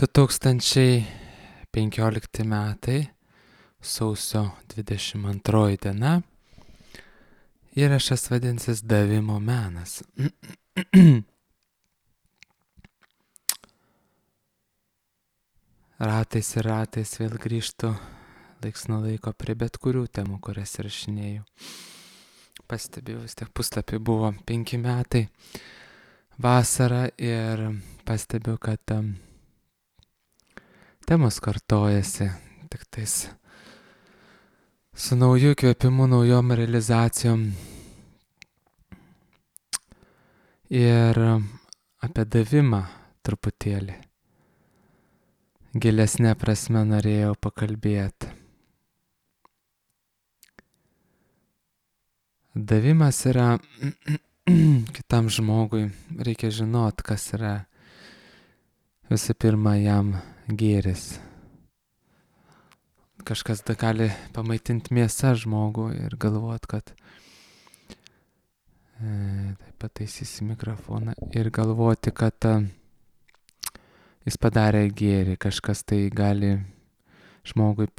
2015 metai, sausio 22 diena. Įrašas vadinsis Davimo menas. Ratais ir ratais vėl grįžtu laiks nuo laiko prie bet kurių temų, kurias rašinėjau. Pastebėjau, vis tiek puslapį buvo 5 metai vasara ir pastebėjau, kad temos kartojasi, tik tais su nauju įkvėpimu, naujom realizacijom. Ir apie davimą truputėlį gilesnė prasme norėjau pakalbėti. Davimas yra kitam žmogui, reikia žinot, kas yra visų pirma jam gėris. Kažkas gali pamaitinti mėsą žmogų ir galvot, kad taip pataisysi mikrofoną ir galvoti, kad jis padarė gėrį, kažkas tai gali žmogui,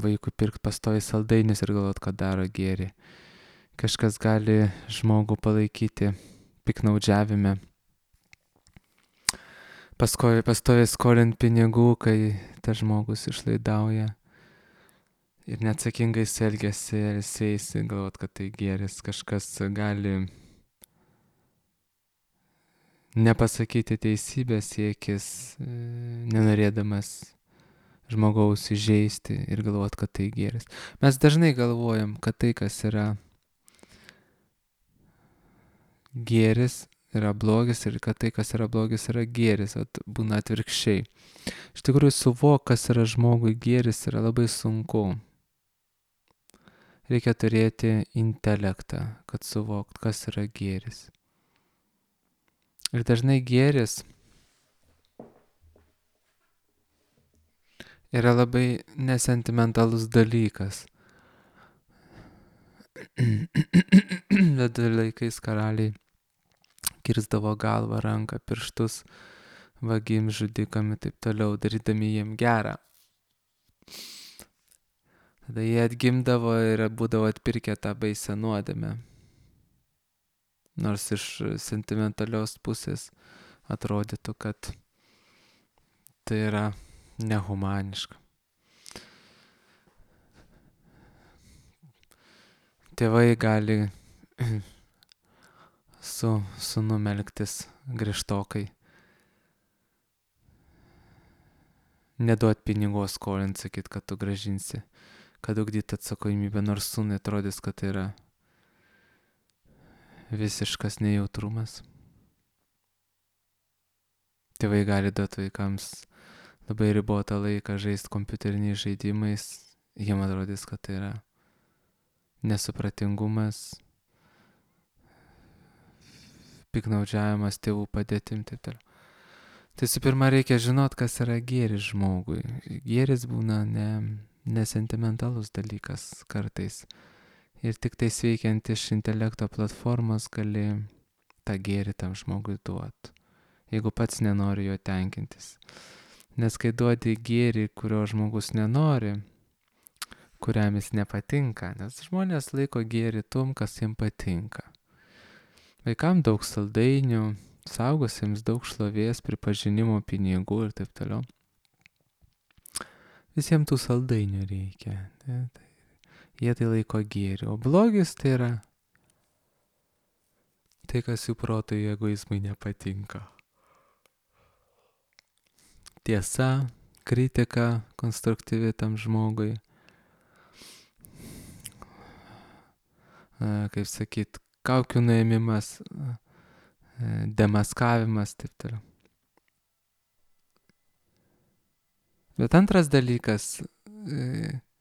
vaikui pirkti pastoviai saldainius ir galvot, kad daro gėrį. Kažkas gali žmogų palaikyti piknaudžiavime. Pastoviai skolint pinigų, kai tas žmogus išlaidauja ir neatsakingai elgiasi ir sėsi, galvot, kad tai gėris. Kažkas gali nepasakyti teisybės, siekis, nenorėdamas žmogaus įžeisti ir galvot, kad tai gėris. Mes dažnai galvojam, kad tai, kas yra gėris, yra blogis ir kad tai, kas yra blogis, yra gėris, būna atvirkščiai. Iš tikrųjų, suvok, kas yra žmogui gėris, yra labai sunku. Reikia turėti intelektą, kad suvokt, kas yra gėris. Ir dažnai gėris yra labai nesentimentalus dalykas. Ledų laikais karaliai kirsdavo galvą, ranką, pirštus vagim, žudikam ir taip toliau, darydami jiem gerą. Tada jie atgimdavo ir būdavo atpirkę tą baisę nuodėmę. Nors iš sentimentalios pusės atrodytų, kad tai yra nehumaniška. Tėvai gali su sūnum elgtis griežtokai. Neduot pinigų, skolint, sakyt, kad tu grąžinsi, kad ugdyt atsakomybę, nors sūnui atrodys, kad tai yra visiškas nejautrumas. Tėvai gali duoti vaikams labai ribotą laiką žaisti kompiuteriniais žaidimais, jiem atrodys, kad tai yra nesupratingumas, piknaudžiavimas tėvų padėtim, taip toliau. Tai su pirma reikia žinot, kas yra gėris žmogui. Gėris būna nesentimentalus dalykas kartais. Ir tik tai veikiant iš intelekto platformos gali tą gėrį tam žmogui duoti, jeigu pats nenori jo tenkintis. Nes kai duodi gėrį, kurio žmogus nenori, kuriam jis nepatinka, nes žmonės laiko gėrį tom, kas jiems patinka. Vaikams daug saldainių, saugusiems daug šlovės, pripažinimo, pinigų ir taip toliau. Visiems tų saldainių reikia. Jie tai laiko gėrį. O blogis tai yra tai, kas jų protui egoizmui nepatinka. Tiesa, kritika konstruktyvi tam žmogui. Kaip sakyt, kaukių nuėmimas, demaskavimas, taip toliau. Bet antras dalykas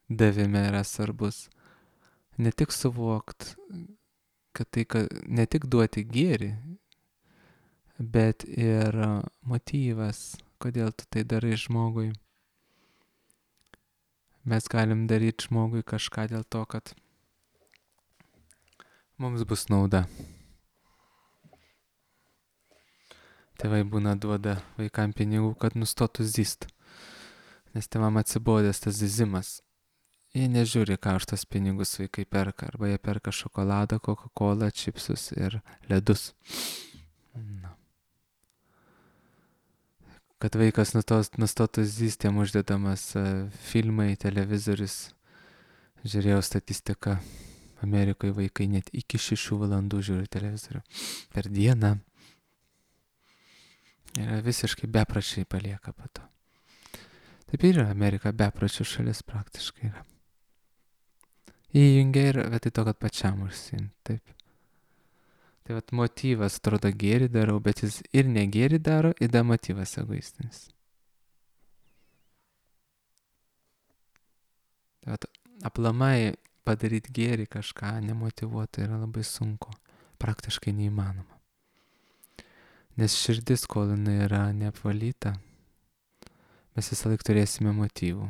davime yra svarbus. Ne tik suvokt, kad tai, ne tik duoti gėrį, bet ir motyvas, kodėl tu tai darai žmogui. Mes galim daryti žmogui kažką dėl to, kad mums bus nauda. Tėvai būna duoda vaikam pinigų, kad nustotų zyst. Nes tėvam atsibodęs tas zyzimas. Jie nežiūri, ką už tas pinigus vaikai perka. Arba jie perka šokoladą, Coca-Cola, čipsus ir ledus. Na. Kad vaikas nustotų zyst, jam uždedamas filmai, televizorius. Žiūrėjau statistiką. Amerikoje vaikai net iki 6 valandų žiūri televizorių per dieną. Ir visiškai bepračiai palieka po to. Taip ir yra Amerika, bepračių šalis praktiškai yra. Įjungia ir vietoj to, kad pačiam užsiimti. Taip. Tai vat motyvas, atrodo, gėrį darau, bet jis ir negėrį daro, ir da motyvas egoistinis. Tai vat aplamai padaryti gėrį kažką nemotyvuotą yra labai sunku, praktiškai neįmanoma. Nes širdis, kol jinai yra neapvalyta, mes visą laiką turėsime motyvų.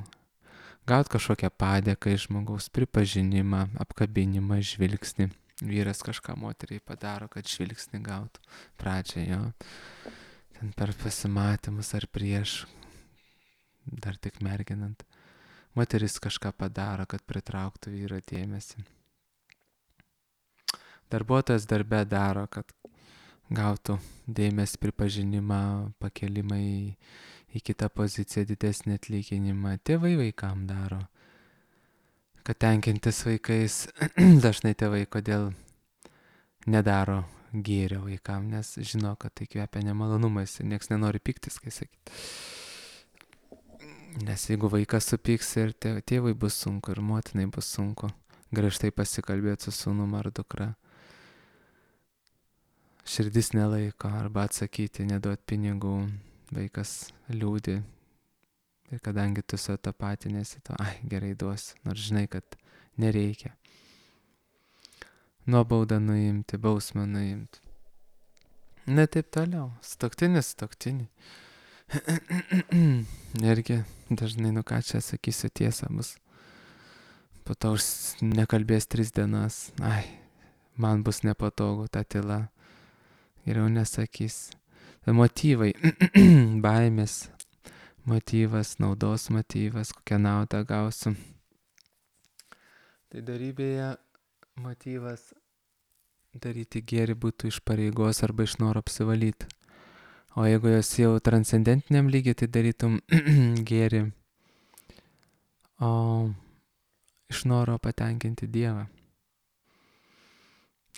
Gaut kažkokią padėką iš žmogaus, pripažinimą, apkabinimą, žvilgsnį. Vyras kažką moteriai padaro, kad žvilgsnį gautų pradžią jo. Ten per pasimatymus ar prieš, dar tik merginant. Moteris kažką padaro, kad pritrauktų vyro dėmesį. Darbuotojas darbe daro, kad gautų dėmesį, pripažinimą, pakelimą į kitą poziciją, didesnį atlyginimą. Tėvai vaikam daro, kad tenkintis vaikais. Dažnai tėvai kodėl nedaro gėrio vaikam, nes žino, kad tai kvepia nemalonumais ir nieks nenori piktis, kai sakyti. Nes jeigu vaikas supyks ir tėvai bus sunku ir motinai bus sunku griežtai pasikalbėti su sūnum ar dukra. Širdis nelaiko arba atsakyti, neduot pinigų, vaikas liūdi. Ir kadangi tu su tapatinėsi, to, gerai duosiu, nors žinai, kad nereikia. Nuobaudą nuimti, bausmę nuimti. Ne taip toliau. Stoktinis. Irgi dažnai, ką čia sakysiu, tiesa bus. Po to nekalbės 3 dienas. Man bus nepatogu ta tyla. Geriau nesakys. Tai motyvai, baimės. Motyvas, naudos motyvas, kokią naudą gausiu. Tai darybėje motyvas daryti gėrį būtų iš pareigos arba iš noro apsivalyti. O jeigu jos jau transcendentiniam lygiai, tai darytum gėrį iš noro patenkinti Dievą,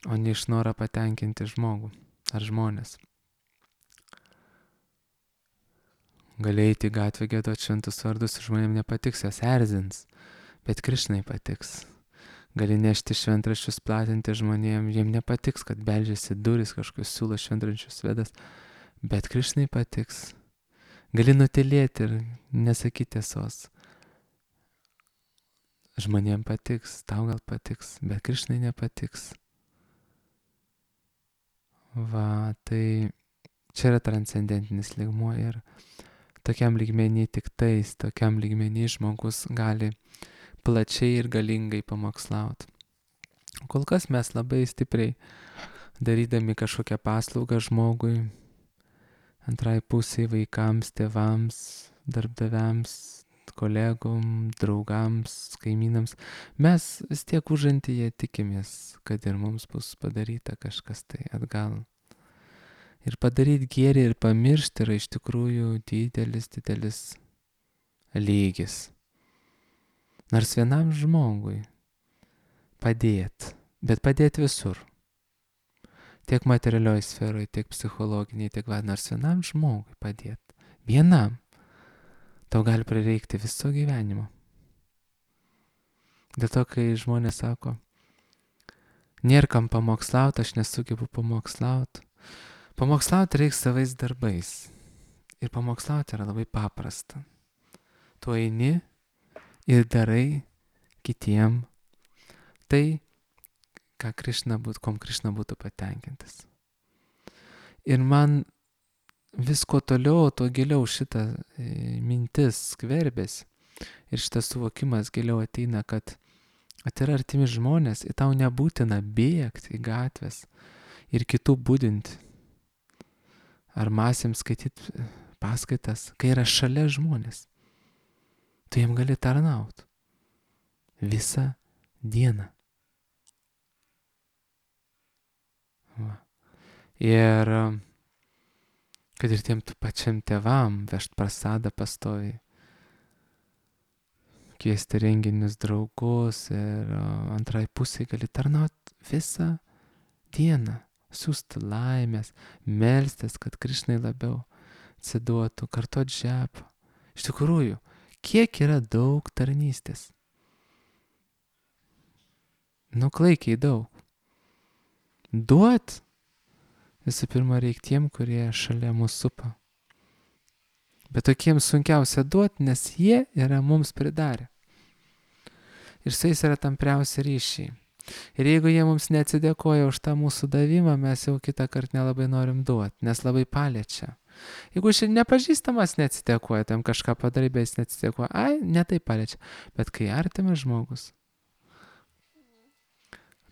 o ne iš noro patenkinti žmogų ar žmonės. Gali eiti į gatvę, giedoti šventus vardus, žmonėms nepatiks, jos erzins, bet Krišnai patiks. Gali nešti šventraščius, platinti žmonėms, jiems nepatiks, kad beldžiasi duris, kažkokius siūlo šventraščius vedas, bet Krišnai patiks. Gali nutylėti ir nesakyti tiesos. Žmonėms patiks, tau gal patiks, bet Krišnai nepatiks. Va, tai čia yra transcendentinis lygmuo ir tokiam lygmenį tokiam lygmenį žmogus gali plačiai ir galingai pamokslauti. Kol kas mes labai stipriai darydami kažkokią paslaugą žmogui, antrai pusiai, vaikams, tėvams, darbdaviams, kolegom, draugams, kaimynams, mes vis tiek užantyje tikimės, kad ir mums bus padaryta kažkas tai atgal. Ir padaryti gėrį ir pamiršti yra iš tikrųjų didelis lygis. Nors vienam žmogui padėti, bet padėti visur. Tiek materialioj sferoje, tiek psichologiniai, tiek nors vienam žmogui padėti. Vienam. Tau gali prireikti viso gyvenimo. Dėl to, kai žmonės sako, nėra kam pamokslauti, aš nesugebu pamokslauti. Pamokslauti reikia savais darbais. Ir pamokslauti yra labai paprasta. Tu eini ir darai kitiem tai, kom Krišna būtų patenkintas. Ir man vis kuo toliau, tuo giliau šita mintis skverbėsi. Ir šitas suvokimas giliau ateina, kad yra artimi žmonės, ir tau nebūtina bėgti į gatves ir kitų budinti. ar masėms skaityti paskaitas, kai yra šalia žmonės. Tu jiem gali tarnauti visą dieną. Va. Ir kad ir tiem pačiam tėvam vežt prasadą pastoviai, kviesti renginius draugus ir antrai pusai gali tarnauti visą dieną, siūsti laimės, melstis, kad Krišnai labiau atsiduotų, kartot žepą. Iš tikrųjų, kiek yra daug tarnystės? Klaikiai daug. Duot visų pirma reikia tiem, kurie šalia mūsų supa. Bet tokiems sunkiausia duoti, nes jie yra mums pridarę. Ir su jais yra tampriausi ryšiai. Ir jeigu jie mums neatsidėkoja už tą mūsų davimą, mes jau kitą kartą nelabai norim duoti, nes labai paliečia. Jeigu nepažįstamas neatsidėkoja, tam kažką padarai, bet jis neatsidėkoja, ne tai paliečia. Bet kai artimas žmogus,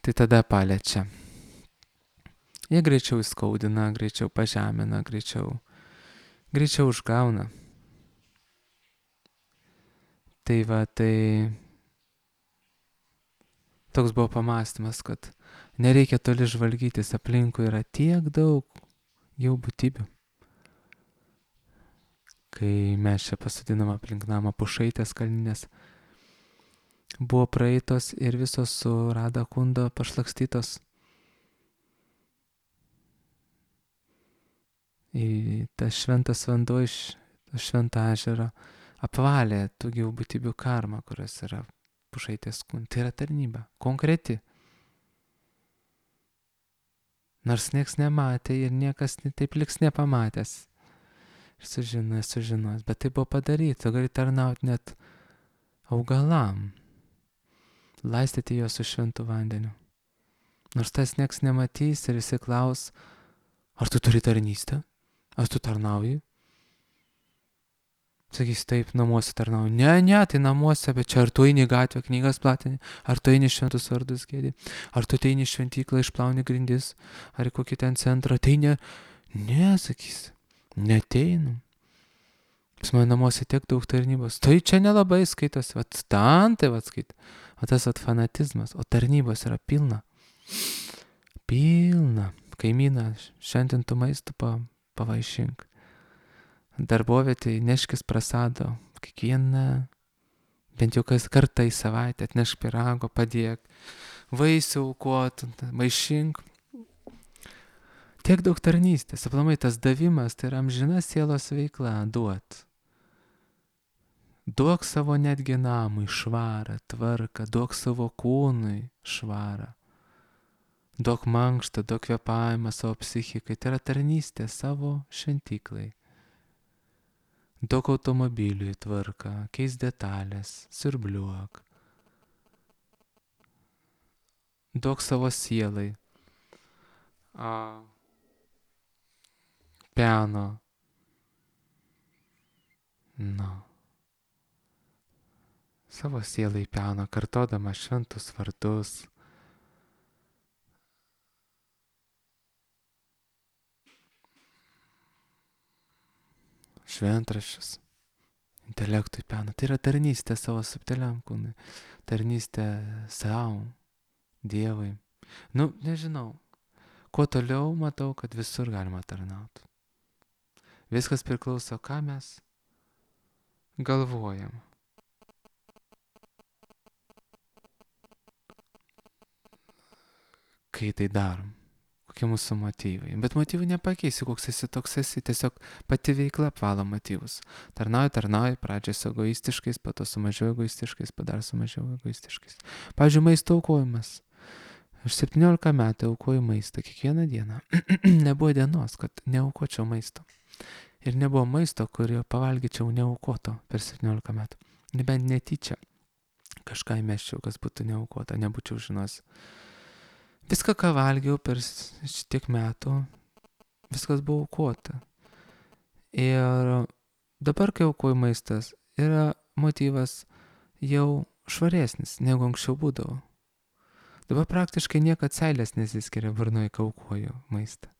tai tada paliečia. Jie greičiau įskaudina, greičiau pažemina, greičiau užgauna. Tai toks buvo pamąstymas, kad nereikia toli žvalgytis, aplinkui yra tiek daug jau būtybių. Kai mes čia pasodinom aplink namą pušaitės kalninės, buvo praeitos ir visos su Rada Kundo pašlakstytos. Į tas šventas vanduo iš švento ežero apvalė tų gyvų būtybių karmą, kurios yra pušaitės kūne. Tai yra tarnyba, konkreti. Nors nieks nematė ir niekas taip liks nepamatęs. Ir sužinos, bet tai buvo padaryta. Tu gali tarnauti net augalam, laistyti juos su šventu vandeniu. Nors tas nieks nematys ir jisai klaus, ar tu turi tarnystę? Ar tu tarnauji? Sakys, taip, namuose tarnauju. Ne, tai namuose, bet čia ar tu eini į gatvę knygas platinį, ar tu eini šventus vardus gėdi, ar tu eini į šventyklą išplauni grindis, ar į kokį ten centrą, tai ne, sakys, neteinu. Pas mane namuose tiek daug tarnybos, tai čia nelabai skaitosi, tai skaito, o tas fanatizmas, o tarnybos yra pilna. Kaimyną šiandien tu maistu pavaišink. Darbovietėje neškis prasado, kiekvieną, bent jau kas kartą į savaitę atnešk pyrago, padėk, vaisių aukot, maišink. Tiek daug tarnystės, aplamai tas davimas, tai yra amžina sielos veikla, duot. Duok savo netgi namui švarą, tvarką, duok savo kūnui švarą. Duok mankštą, duok kvėpavimą savo psichikai, tai yra tarnystė savo šventyklai. Duok automobiliui tvarką, keis detalės, siurbliuok. Duok savo sielai piano. Savo sielai piano, kartodama šventus vardus. Šventraščius, intelektui piano. Tai yra tarnystė savo subtiliam kūnui, tarnystė savo, Dievui. Nežinau, kuo toliau matau, kad visur galima tarnauti. Viskas priklauso, ką mes galvojam. Kai tai darom. Kokie mūsų motyvai. Bet motyvų nepakeisi, koks esi, toks esi. Tiesiog pati veikla apvalo motyvus. Tarnauji, pradžiai su egoistiškais, po to su mažiau egoistiškais, padar su mažiau egoistiškais. Pavyzdžiui, maisto aukojimas. Aš 17 metų aukoju maistą kiekvieną dieną. Nebuvo dienos, kad neaukočiau maisto. Ir nebuvo maisto, kurio pavalgyčiau neaukoto per 17 metų. Nebent netyčia kažką įmeščiau, kas būtų neaukota, nebūčiau žinos. Viską, ką valgiau per šitiek metų, viskas buvo aukota. Ir dabar, kai aukoju maistas, yra motyvas jau švaresnis, negu anksčiau būdavo. Dabar praktiškai niekad seilės nesiskiria burnoje, kai aukoju maistą.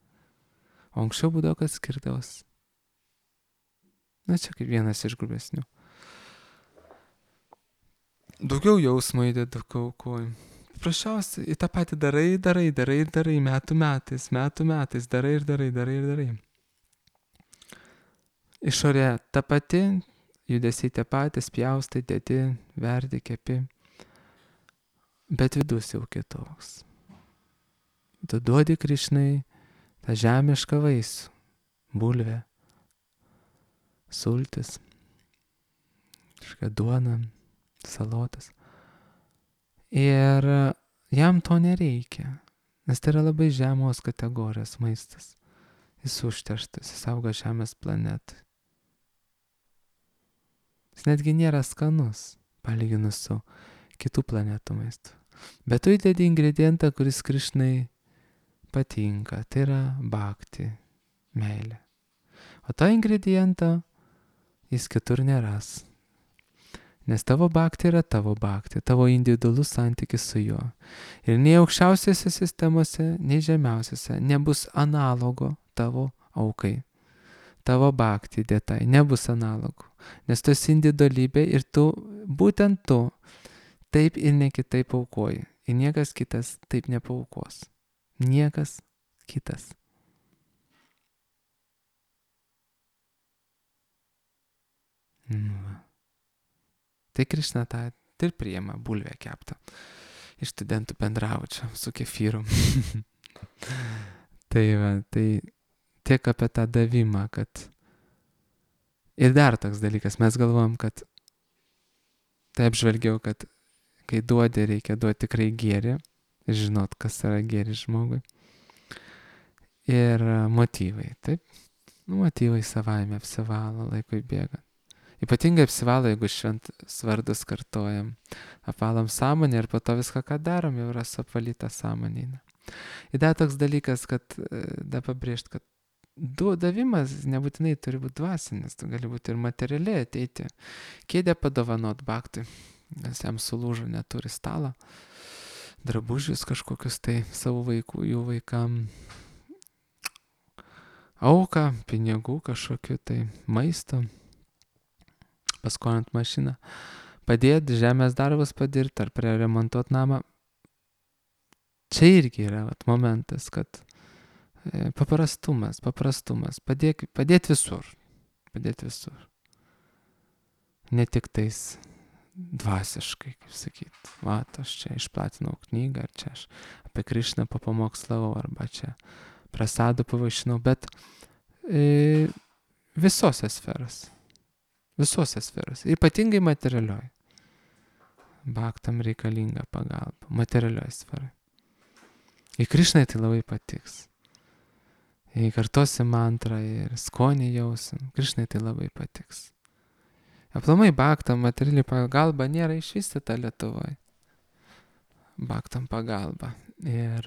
O anksčiau būdavo, kad skirdavos. Na, čia kaip vienas iš grubesnių. Daugiau jausmo įdedu, aukoju. Paprasčiausiai į tą patį darai, metų metais, darai. Išorė ta pati, judesiai tie patys, pjaustai, dedi, verdi, kepi. Bet vidus jau kitoks. Tu duodi Krišnai tą žemišką vaisių, bulvę, sultis, kažką duoną, salotas. Ir jam to nereikia, nes tai yra labai žemos kategorijos maistas. Jis užterštas, jis auga žemės planetai. Jis netgi nėra skanus, palyginus su kitų planetų maistu. Bet tu įdedi ingredientą, kuris Krišnai patinka, tai yra bhakti, meilė. O tą ingredientą jis kitur neras. Nes tavo bhakti yra tavo bhakti, tavo individualus santykis su juo. Ir nei aukščiausiose sistemose, nei žemiausiose nebus analogo tavo aukai. Tavo bhakti dėtai nebus analogų. Nes tu esi individualybė ir tu, būtent tu, taip ir ne kitaip aukoji. Ir niekas kitas taip nepaaukos. Niekas kitas. Tai Krišna tą ir priima bulvę keptą. Iš studentų bendravo čia su kefyru. Tai tiek apie tą davimą, kad ir dar toks dalykas, mes galvojam, kad tai apžvelgiau, kad kai duodi, reikia duoti tikrai gėrį, žinot, kas yra gėris žmogui. Ir motyvai, taip? Motyvai savaime apsivalo laikui bėgant. Ypatingai apsivalo, jeigu šventus vardus kartojam, apvalom sąmonę ir po to viską, ką darom, jau yra suapvalyta sąmonė. Ir dar toks dalykas, kad dar pabrėžt, kad davimas nebūtinai turi būti dvasinis, tu gali būti ir materialiai ateiti. Kėdę padovanot bhaktui, nes jam sulūžo, neturi stalą, drabužius kažkokius tai savo vaikų, jų vaikam, auką, pinigų kažkokiu tai maisto, paskolint mašiną, padėti žemės darbus padirti ar remontuoti namą. Čia irgi yra momentas, kad paprastumas, padėti visur. Ne tik tais dvasiškai, kaip sakyt, aš čia išplatinau knygą, ar čia aš apie Krišną papamokslavau, arba čia prasadų pavaišinau, bet visose sferose, ypatingai materialioj. Bhaktam reikalinga pagalba, materialioj sferai. Ir Krišnai tai labai patiks. Jei kartosi mantrą ir skonį jausim, Krišnai tai labai patiks. Aplamai Bhaktam materiali pagalba nėra išvystyta Lietuvoje. Bhaktam pagalba. Ir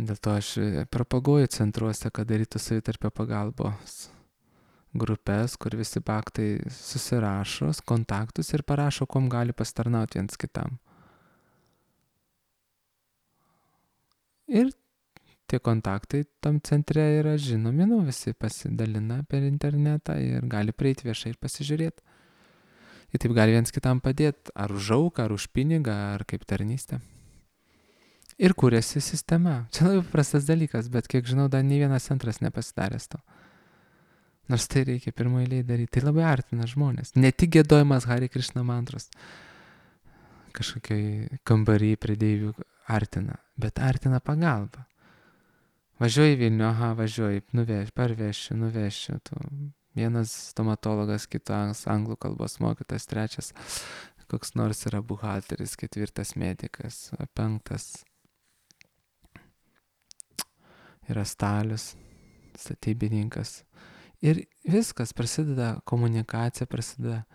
dėl to aš propaguoju centruose, kad darytų savitarpio pagalbos grupės, kur visi bhaktai susirašo kontaktus ir parašo, kuom gali pasitarnauti viens kitam. Ir tie kontaktai tam centre yra žinomi, visi pasidalina per internetą ir gali prieiti viešai ir pasižiūrėti. Ir taip gali viens kitam padėti, ar už auką, ar už pinigą, ar kaip tarnystę. Ir kūrėsi sistema. Čia labai paprastas dalykas, bet kiek žinau, dar nei vienas centras nepasidaręs to. Nors tai reikia pirmoje eilėje daryti. Tai labai artina žmonės. Ne tik giedojimas Hare Krishna mantros kažkokiai kambarį prie deivių artina, bet artina pagalba. Važiuoji Vilnių, važiuoji, nuvešiu. Vienas stomatologas, kitas anglų kalbos mokytas, trečias koks nors yra buhalteris, ketvirtas medikas, penktas yra stalius, statybininkas. Ir viskas prasideda, komunikacija prasideda,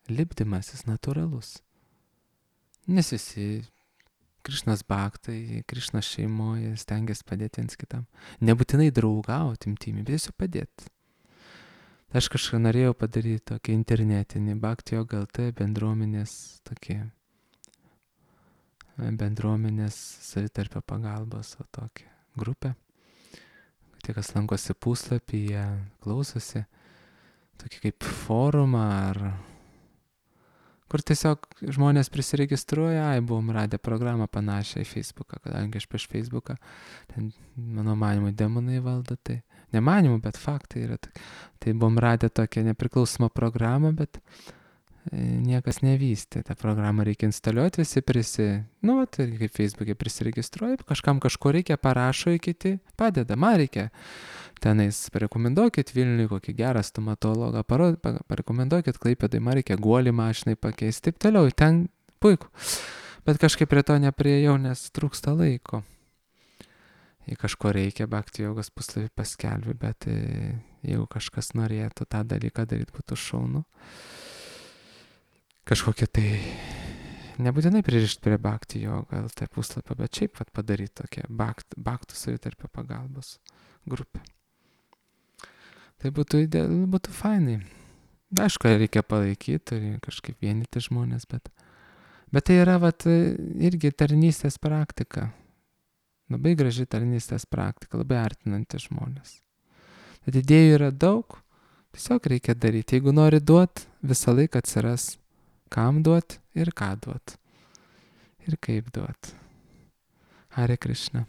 lipdymasis natūralus. Nes visi Krišnos bhaktai, Krišnos šeimoje stengiasi padėti viens kitam. Nebūtinai draugauti imtimi, bet tiesiog padėti. Aš kažką norėjau padaryti tokį internetinį Bhakti Yoga LT bendruomenės tokį bendruomenės savitarpio pagalbos tokią grupę. Tie, kas lankosi puslapyje, klausosi, tokį kaip forumą ar kur tiesiog žmonės prisiregistruoja, buvom radę programą panašią į Facebooką, kadangi aš prieš Facebooką, ten mano manimų demonai valdo, tai nemanimų, bet faktai yra. Tai buvom radę tokią nepriklausomą programą, bet niekas nevystė. Ta programą reikia instaliuoti, visi tai kaip Facebook'e prisiregistruoja, kažkam kažko reikia, parašo į kiti, padeda, man reikia. Tenais parekomenduokit Vilniui kokį gerą stomatologą, parekomenduokit Klaipėdai, man reikia guolį mašinai pakeisti, taip toliau, ten puiku. Bet kažkaip prie to nepriejau, nes trūksta laiko. Jei kažko reikia, Bhakti jogos puslapį paskelbi, bet jeigu kažkas norėtų tą dalyką daryti, būtų šaunu. Kažkokia tai, nebūtinai pririšti prie Bhakti joga LT puslapio, bet šiaip padaryti tokią Bhaktų savitarpio pagalbos grupę. Tai būtų fainai. Aišku, reikia palaikyti, kažkaip vienyti žmonės, bet tai yra irgi tarnystės praktika. Labai graži tarnystės praktika, labai artinanti žmonės. Bet idėjų yra daug, tiesiog reikia daryti. Jeigu nori duot, visą laiką atsiras, kam duot ir ką duot. Ir kaip duot. Hare Krishna.